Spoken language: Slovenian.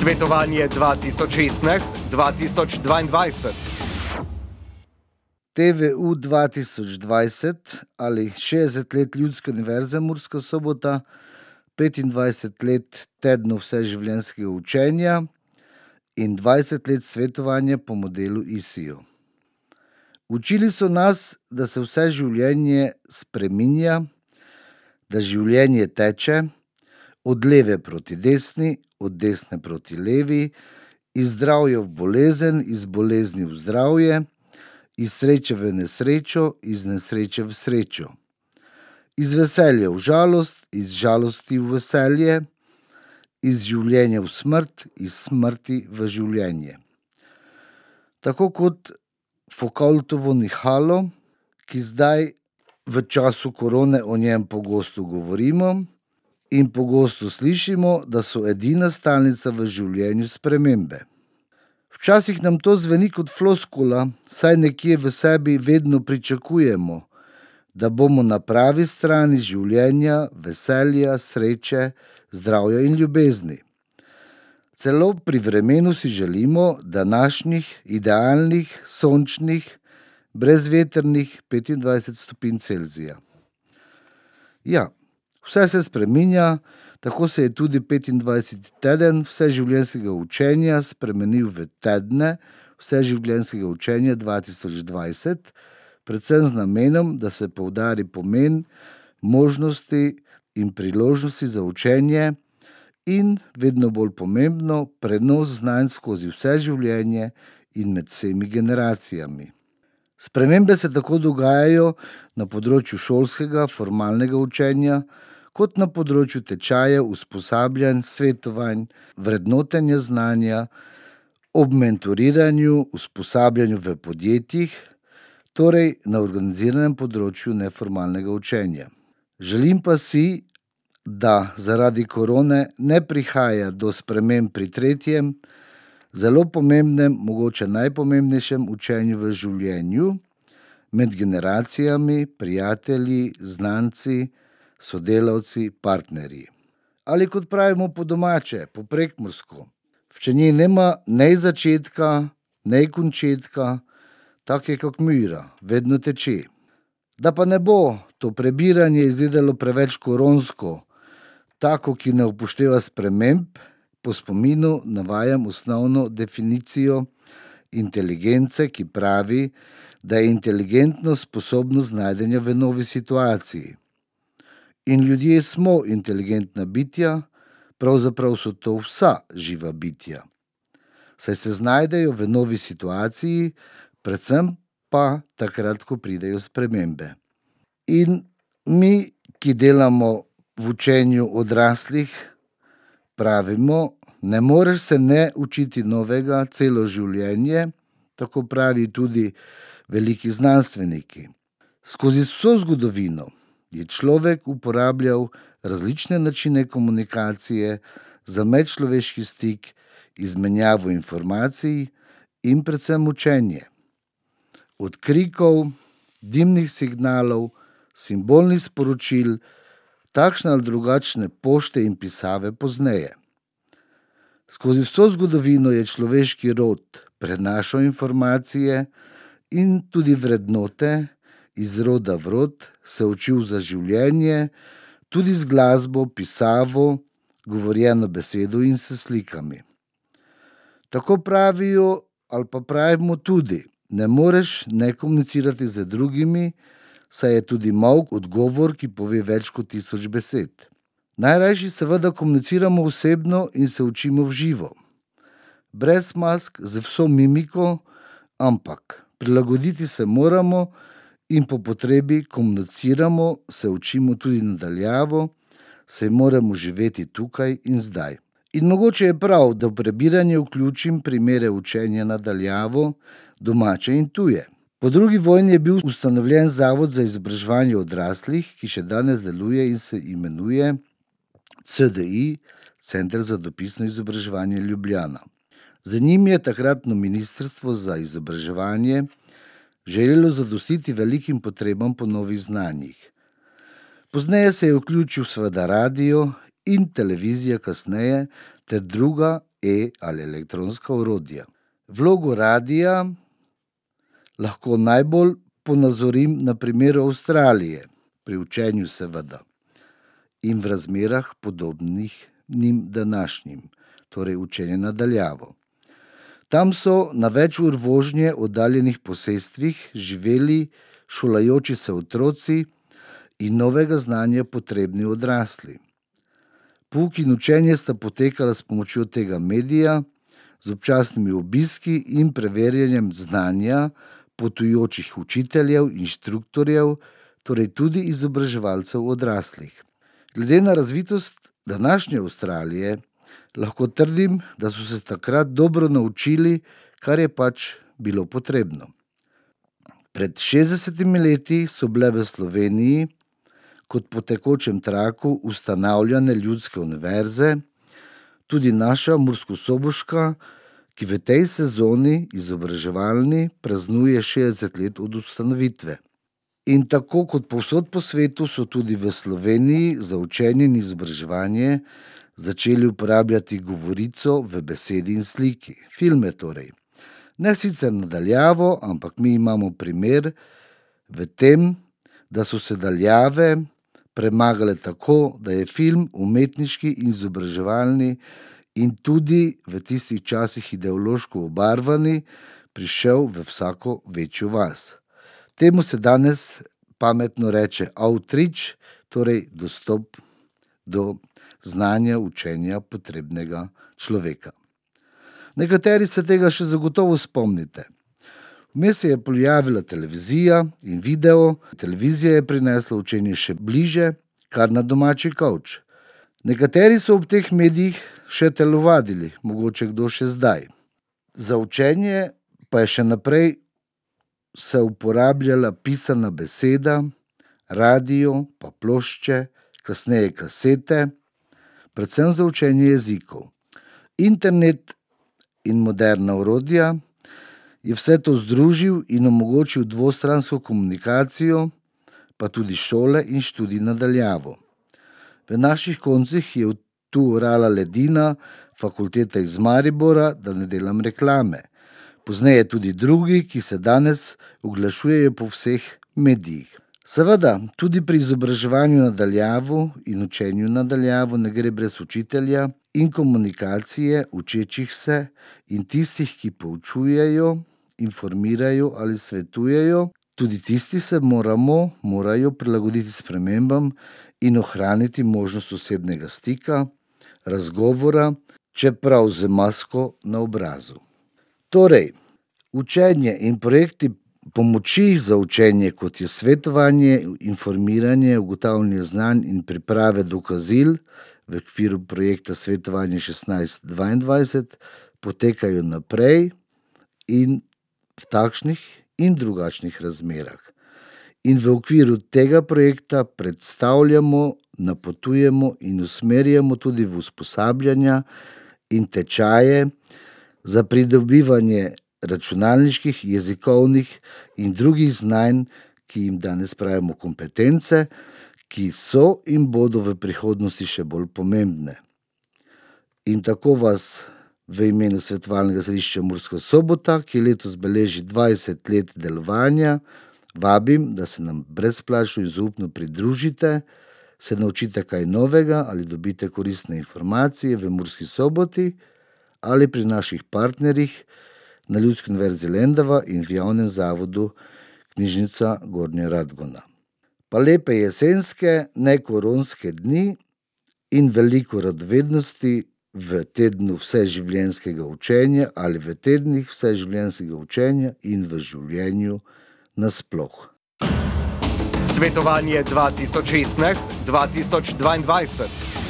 Svetovanje 2016-2022. TVU 2020 ali 60 let Ljudske univerze Murska Sobota, 25 let tednov vseživljenjskega učenja in 20 let svetovanja po modelu ISIO. Učili so nas, da se vse življenje spreminja, da življenje teče od leve proti desni, od desne proti levi, iz zdravja v bolezen, iz bolezni v zdravje, iz sreče v nesrečo, iz nesreče v srečo, iz veselja v žalost, iz žalosti v veselje, iz življenja v smrt, iz smrti v življenje. Tako kot Foucaultovo nihalo, ki zdaj v času korone o njem pogosto govorimo in pogosto slišimo, da so edina stalnica v življenju spremembe. Včasih nam to zveni kot floskula, saj nekje v sebi vedno pričakujemo, da bomo na pravi strani življenja, veselja, sreče, zdravja in ljubezni. Celo pri vremenu si želimo današnjih, idealnih, sončnih, brezvetrnih 25 stopinj Celzija. Ja, vse se spreminja, tako se je tudi 25. teden vseživljenjskega učenja spremenil v tedne vseživljenjskega učenja 2020, predvsem z namenom, da se poudari pomen, možnosti in priložnosti za učenje in, vedno bolj pomembno, prenos znanj skozi vse življenje in med vsemi generacijami. Spremembe se tako dogajajo na področju šolskega, formalnega učenja, kot na področju tečajev, usposabljanj, svetovanj, vrednotenja znanja, ob mentoriranju, usposabljanju v podjetjih, torej na organiziranem področju neformalnega učenja. Želim pa si, da zaradi korone ne prihaja do sprememb pri tretjem, zelo pomembnem, mogoče najpomembnejšem učenju v življenju, med generacijami, prijatelji, znanci, sodelavci, partnerji. Ali kot pravimo po domače, po prekmursko, v njej nema nej začetka, nej končetka, tak je kot myra, vedno teče. Da pa ne bo to prebiranje izgledalo preveč koronsko, tako, ki ne upošteva sprememb, po spominu navajam osnovno definicijo inteligence, ki pravi, da je inteligentnost sposobnost znajdenja v novi situaciji. In ljudje smo inteligentna bitja, pravzaprav so to vsa živa bitja. Saj se znajdejo v novi situaciji, predvsem pa takrat, ko pridejo spremembe. In mi, ki delamo v učenju odraslih, pravimo, ne moreš se ne učiti novega celo življenje, tako pravi tudi veliki znanstveniki. Skozi vso zgodovino je človek uporabljal različne načine komunikacije za medčloveški stik, izmenjavo informacij in predvsem učenje. Od krikov, dimnih signalov, simbolnih sporočil, takšne ali drugačne pošte in pisave pozneje. Skozi vso zgodovino je človeški rod prenašal informacije in tudi vrednote iz roda v rod, se učil za življenje, tudi z glasbo, pisavo, govorjeno besedo in s slikami. Tako pravijo ali pa pravimo tudi, ne moreš ne komunicirati z drugimi, saj je tudi molk odgovor, ki pove več kot 1000 besed. Najrajši seveda komuniciramo osebno in se učimo v živo. Brez mask, z vso mimiko, ampak prilagoditi se moramo in po potrebi komuniciramo, se učimo tudi nadaljavo, saj moramo živeti tukaj in zdaj. In mogoče je prav, da v prebiranje vključim primere učenja nadaljavo, domače in tuje. Po drugi vojni je bil ustanovljen Zavod za izobraževanje odraslih, ki še danes deluje in se imenuje CDI, Center za dopisno izobraževanje Ljubljana. Z njim je takratno ministrstvo za izobraževanje želelo zadostiti velikim potrebam po novih znanjih. Pozneje se je vključil seveda radio in televizija kasneje ter druga ali elektronska orodja. Vlogo radia lahko najbolj ponazorim na primeru Avstralije, pri učenju seveda, in v razmerah podobnih njim današnjim, torej učenje na daljavo. Tam so na več ur vožnje oddaljenih posestvih živeli šolajoči se otroci in novega znanja potrebni odrasli. Pouk in učenje sta potekala s pomočjo tega medija, z občasnimi obiski in preverjanjem znanja potujočih učiteljev, inštruktorjev, torej tudi izobraževalcev odraslih. Glede na razvitost današnje Avstralije, lahko trdim, da so se takrat dobro naučili, kar je pač bilo potrebno. Pred 60 leti so bile v Sloveniji kot po tekočem traku ustanavljane ljudske univerze, tudi naša murskosoboška, ki v tej sezoni izobraževalni praznuje 60 let od ustanovitve. In tako kot povsod po svetu so tudi v Sloveniji za učenje in izobraževanje začeli uporabljati govorico v besedi in sliki, filme torej. Ne sicer na daljavo, ampak mi imamo primer v tem, da so se daljave premagale tako, da je film umetniški in izobraževalni in tudi v tistih časih ideološko obarvani prišel v vsako večjo vas. Temu se danes pametno reče outreach, torej dostop do znanja, učenja potrebnega človeka. Nekateri se tega še zagotovo spomnite. Vmes se je pojavila televizija in video. Televizija je prinesla učenje še bliže, kar na domači kavč. Nekateri so ob teh medijih še telovadili, mogoče kdo še zdaj. Za učenje pa je še naprej se uporabljala pisana beseda, radio, pa plošče, kasneje kasete, predvsem za učenje jezikov. Internet in moderna orodja je vse to združil in omogočil dvostransko komunikacijo, pa tudi šole in študij na daljavo. V naših koncih je tu orala ledina fakulteta iz Maribora, da ne delam reklame. Pozneje tudi drugi, ki se danes oglašujejo po vseh medijih. Seveda, tudi pri izobraževanju na daljavo in učenju na daljavo ne gre brez učitelja in komunikacije učečih se in tistih, ki poučujejo, informirajo ali svetujejo. Tudi tisti se morajo prilagoditi spremembam in ohraniti možnost osebnega stika, razgovora, čeprav z masko na obrazu. Torej, učenje in projekti pomoči za učenje, kot je svetovanje, informiranje, ugotavljanje znanj in priprave dokazil v okviru projekta Svetovanje 1622, potekajo naprej in v takšnih in drugačnih razmerah. In v okviru tega projekta predstavljamo, napotujemo in usmerjamo tudi v usposabljanja in tečaje za pridobivanje računalniških, jezikovnih in drugih znanj, ki jim danes pravimo kompetence, ki so in bodo v prihodnosti še bolj pomembne. In tako vas v imenu Svetovalnega središča Murska Sobota, ki letos beleži 20 let delovanja, vabim, da se nam brezplačno in zaupno pridružite, se naučite kaj novega ali dobite koristne informacije v Murski Soboti ali pri naših partnerjih na Ljudski univerzi Lendava in v javnem zavodu Knjižnica Gornja Radgona. Pa lepe jesenske, nekoronske dni in veliko radovednosti v tednu vseživljenjskega učenja ali v tednih vseživljenjskega učenja in v življenju nasploh. Svetovanje 2016-2022.